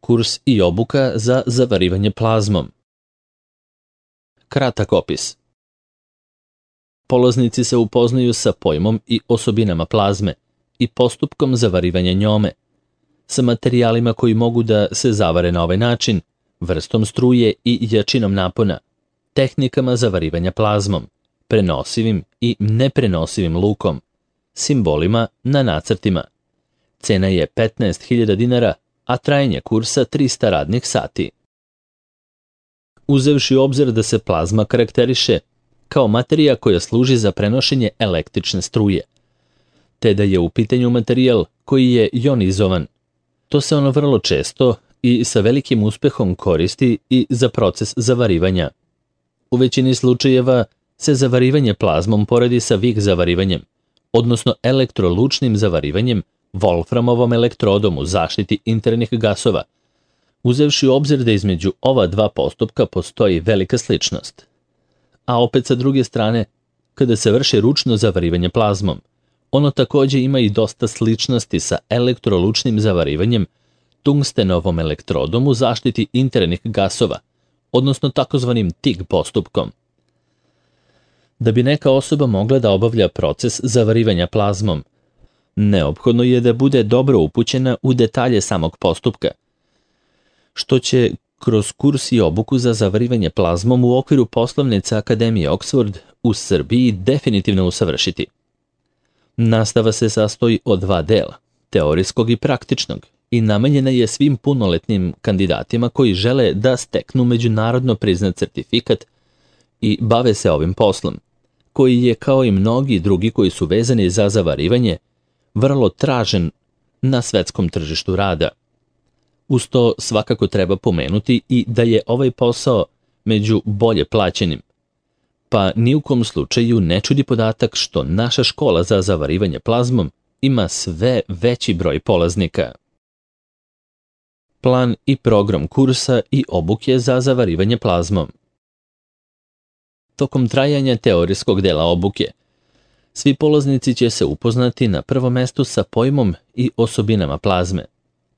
Kurs i obuka za zavarivanje plazmom. Kratak opis. Polaznici se upoznaju sa pojmom i osobinama plazme i postupkom zavarivanja njome, sa materijalima koji mogu da se zavare na ovaj način, vrstom struje i jačinom napona, tehnikama zavarivanja plazmom, prenosivim i neprenosivim lukom, simbolima na nacrtima. Cena je 15.000 dinara, a trajanje kursa 300 radnih sati. Uzevši u obzir da se plazma karakteriše kao materija koja služi za prenošenje električne struje, te da je u pitanju materijal koji je jonizovan, to se ono vrlo često i sa velikim uspehom koristi i za proces zavarivanja. U većini slučajeva se zavarivanje plazmom poredi sa Wick zavarivanjem, odnosno elektrolučnim zavarivanjem Wolframovom elektrodom u zaštiti internih gasova, uzevši u obzir da između ova dva postupka postoji velika sličnost. A opet sa druge strane, kada se vrši ručno zavarivanje plazmom, ono takođe ima i dosta sličnosti sa elektrolučnim zavarivanjem tungstenovom elektrodom u zaštiti internih gasova, odnosno takozvanim TIG postupkom. Da bi neka osoba mogla da obavlja proces zavarivanja plazmom, neophodno je da bude dobro upućena u detalje samog postupka, što će kroz kurs i obuku za zavarivanje plazmom u okviru poslovnice Akademije Oxford u Srbiji definitivno usavršiti. Nastava se sastoji od dva dela, teorijskog i praktičnog, i namenjena je svim punoletnim kandidatima koji žele da steknu međunarodno priznat certifikat i bave se ovim poslom, koji je, kao i mnogi drugi koji su vezani za zavarivanje, vrlo tražen na svetskom tržištu rada. Uz to svakako treba pomenuti i da je ovaj posao među bolje plaćenim, pa ni u kom slučaju ne čudi podatak što naša škola za zavarivanje plazmom ima sve veći broj polaznika. Plan i program kursa i obuke za zavarivanje plazmom. Tokom trajanja teorijskog dela obuke, svi polaznici će se upoznati na prvom mestu sa pojmom i osobinama plazme,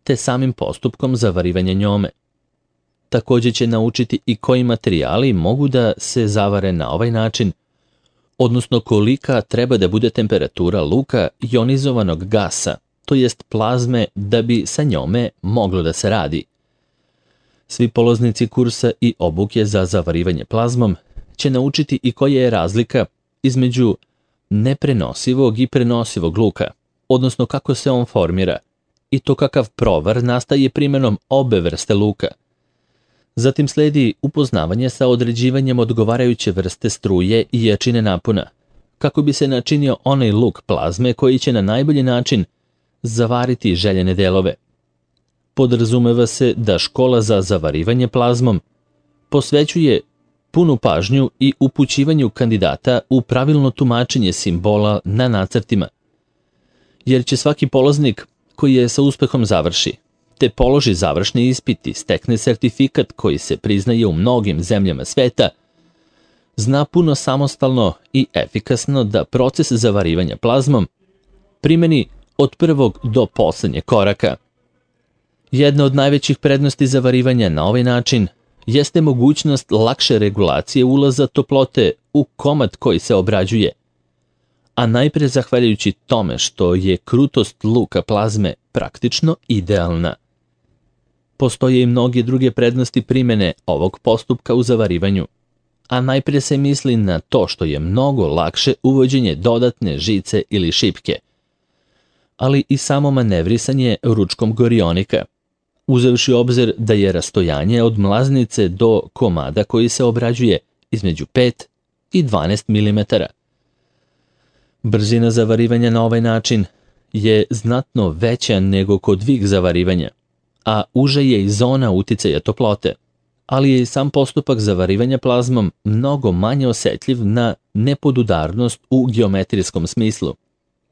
te samim postupkom zavarivanja njome. Takođe će naučiti i koji materijali mogu da se zavare na ovaj način, odnosno kolika treba da bude temperatura luka ionizovanog gasa, to jest plazme, da bi sa njome moglo da se radi. Svi polaznici kursa i obuke za zavarivanje plazmom će naučiti i koja je razlika između neprenosivog i prenosivog luka, odnosno kako se on formira, i to kakav provar nastaje primenom obe vrste luka. Zatim sledi upoznavanje sa određivanjem odgovarajuće vrste struje i jačine napona, kako bi se načinio onaj luk plazme koji će na najbolji način zavariti željene delove. Podrazumeva se da škola za zavarivanje plazmom posvećuje punu pažnju i upućivanju kandidata u pravilno tumačenje simbola na nacrtima, jer će svaki polaznik koji je sa uspehom završi, te položi završni ispit i stekne sertifikat koji se priznaje u mnogim zemljama sveta, zna puno samostalno i efikasno da proces zavarivanja plazmom primeni od prvog do poslednjeg koraka. Jedna od najvećih prednosti zavarivanja na ovaj način jeste mogućnost lakše regulacije ulaza toplote u komad koji se obrađuje, a najpre zahvaljujući tome što je krutost luka plazme praktično idealna. Postoje i mnoge druge prednosti primene ovog postupka u zavarivanju, a najpre se misli na to što je mnogo lakše uvođenje dodatne žice ili šipke, ali i samo manevrisanje ručkom gorionika, uzevši obzir da je rastojanje od mlaznice do komada koji se obrađuje između 5 i 12 mm. Brzina zavarivanja na ovaj način je znatno veća nego kod Wick zavarivanja, a uža je i zona uticaja toplote, ali je i sam postupak zavarivanja plazmom mnogo manje osetljiv na nepodudarnost u geometrijskom smislu,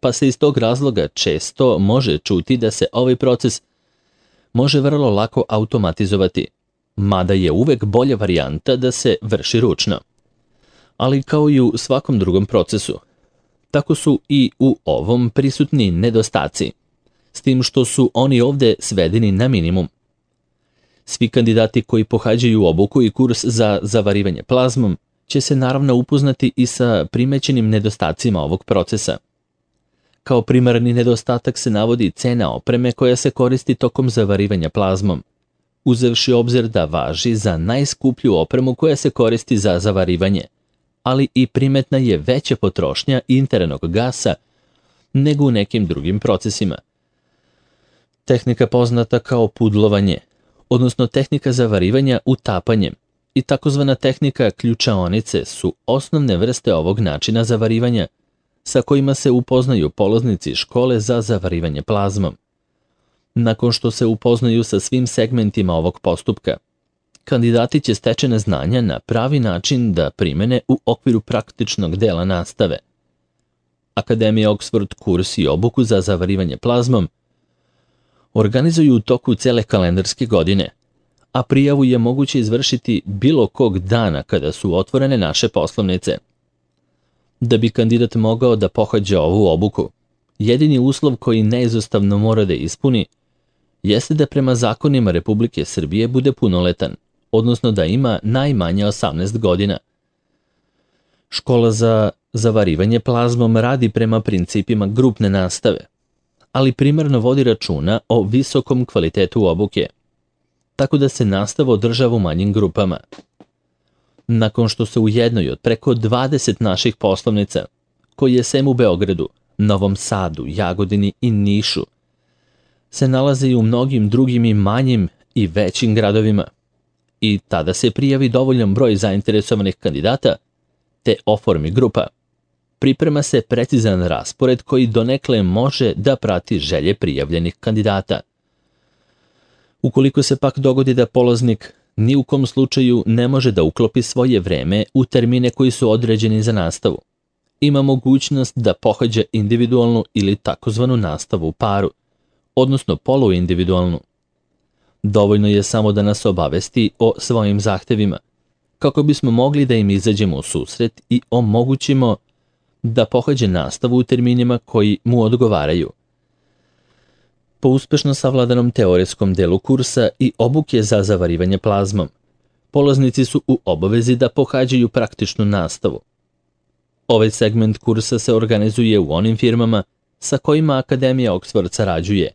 pa se iz tog razloga često može čuti da se ovaj proces može vrlo lako automatizovati, mada je uvek bolja varijanta da se vrši ručno. Ali kao i u svakom drugom procesu, tako su i u ovom prisutni nedostaci, s tim što su oni ovde svedeni na minimum. Svi kandidati koji pohađaju obuku i kurs za zavarivanje plazmom će se naravno upoznati i sa primećenim nedostacima ovog procesa. Kao primarni nedostatak se navodi cena opreme koja se koristi tokom zavarivanja plazmom, uzevši obzir da važi za najskuplju opremu koja se koristi za zavarivanje, ali i primetna je veća potrošnja internog gasa nego u nekim drugim procesima. Tehnika poznata kao pudlovanje, odnosno tehnika zavarivanja utapanjem i takozvana tehnika ključaonice su osnovne vrste ovog načina zavarivanja sa kojima se upoznaju polaznici škole za zavarivanje plazmom. Nakon što se upoznaju sa svim segmentima ovog postupka, kandidati će stečena znanja na pravi način da primene u okviru praktičnog dela nastave. Akademija Oxford kurs i obuku za zavarivanje plazmom organizuju u toku cele kalendarske godine, a prijavu je moguće izvršiti bilo kog dana kada su otvorene naše poslovnice. Da bi kandidat mogao da pohađa ovu obuku, jedini uslov koji neizostavno mora da ispuni jeste da prema zakonima Republike Srbije bude punoletan, odnosno da ima najmanje 18 godina. Škola za zavarivanje plazmom radi prema principima grupne nastave, ali primarno vodi računa o visokom kvalitetu obuke, tako da se nastava održava u manjim grupama. Nakon što se u jednoj od preko 20 naših poslovnica, koji je sem u Beogradu, Novom Sadu, Jagodini i Nišu, se nalaze i u mnogim drugim i manjim i većim gradovima, i tada se prijavi dovoljan broj zainteresovanih kandidata, te oformi grupa. Priprema se precizan raspored koji donekle može da prati želje prijavljenih kandidata. Ukoliko se pak dogodi da polaznik ni u kom slučaju ne može da uklopi svoje vreme u termine koji su određeni za nastavu, ima mogućnost da pohađa individualnu ili takozvanu nastavu u paru, odnosno poluindividualnu. Dovoljno je samo da nas obavesti o svojim zahtevima, kako bismo mogli da im izađemo u susret i omogućimo da pohađe nastavu u terminima koji mu odgovaraju. Po uspešno savladanom teorijskom delu kursa i obuke za zavarivanje plazmom, polaznici su u obavezi da pohađaju praktičnu nastavu. Ovaj segment kursa se organizuje u onim firmama sa kojima Akademija Oxford sarađuje,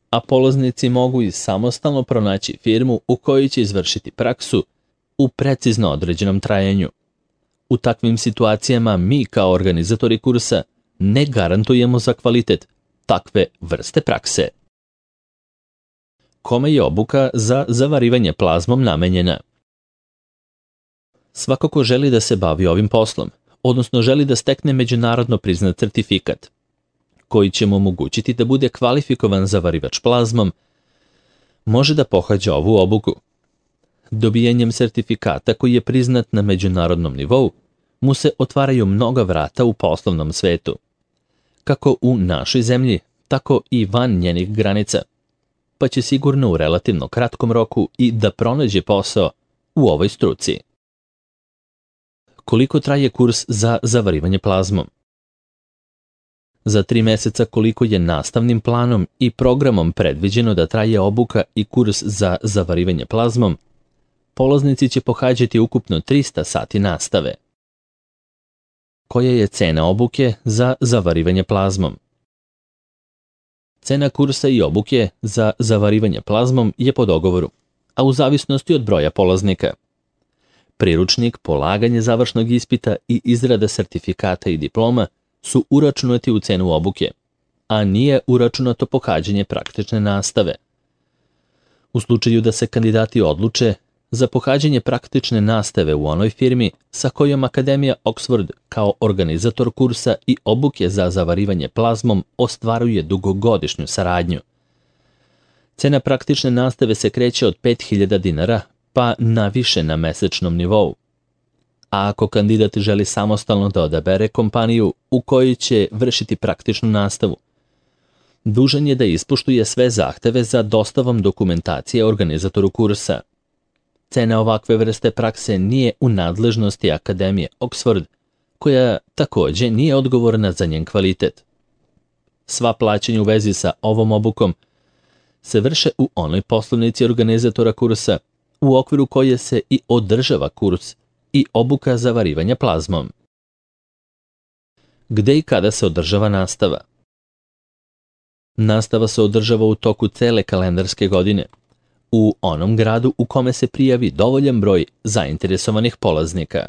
a polaznici mogu i samostalno pronaći firmu u kojoj će izvršiti praksu u precizno određenom trajanju. U takvim situacijama mi kao organizatori kursa ne garantujemo za kvalitet takve vrste prakse. Kome je obuka za zavarivanje plazmom namenjena? Svako ko želi da se bavi ovim poslom, odnosno želi da stekne međunarodno priznat certifikat, koji će mu omogućiti da bude kvalifikovan zavarivač plazmom, može da pohađa ovu obuku. Dobijanjem sertifikata koji je priznat na međunarodnom nivou, mu se otvaraju mnoga vrata u poslovnom svetu, kako u našoj zemlji, tako i van njenih granica, pa će sigurno u relativno kratkom roku i da pronađe posao u ovoj struci. Koliko traje kurs za zavarivanje plazmom? Za 3 meseca koliko je nastavnim planom i programom predviđeno da traje obuka i kurs za zavarivanje plazmom, polaznici će pohađati ukupno 300 sati nastave. Koja je cena obuke za zavarivanje plazmom? Cena kursa i obuke za zavarivanje plazmom je po dogovoru, a u zavisnosti od broja polaznika. Priručnik, polaganje završnog ispita i izrada sertifikata i diploma su uračunati u cenu obuke, a nije uračunato pohađanje praktične nastave. U slučaju da se kandidati odluče za pohađanje praktične nastave u onoj firmi sa kojom Akademija Oxford kao organizator kursa i obuke za zavarivanje plazmom ostvaruje dugogodišnju saradnju. Cena praktične nastave se kreće od 5.000 dinara pa naviše na mesečnom nivou. A ako kandidat želi samostalno da odabere kompaniju u kojoj će vršiti praktičnu nastavu, dužan je da ispoštuje sve zahteve za dostavom dokumentacije organizatoru kursa. Cena ovakve vrste prakse nije u nadležnosti Akademije Oxford, koja takođe nije odgovorna za njen kvalitet. Sva plaćanja u vezi sa ovom obukom se vrše u onoj poslovnici organizatora kursa, u okviru koje se i održava kurs i obuka za varivanje plazmom. Gde i kada se održava nastava? Nastava se održava u toku cele kalendarske godine, u onom gradu u kome se prijavi dovoljan broj zainteresovanih polaznika.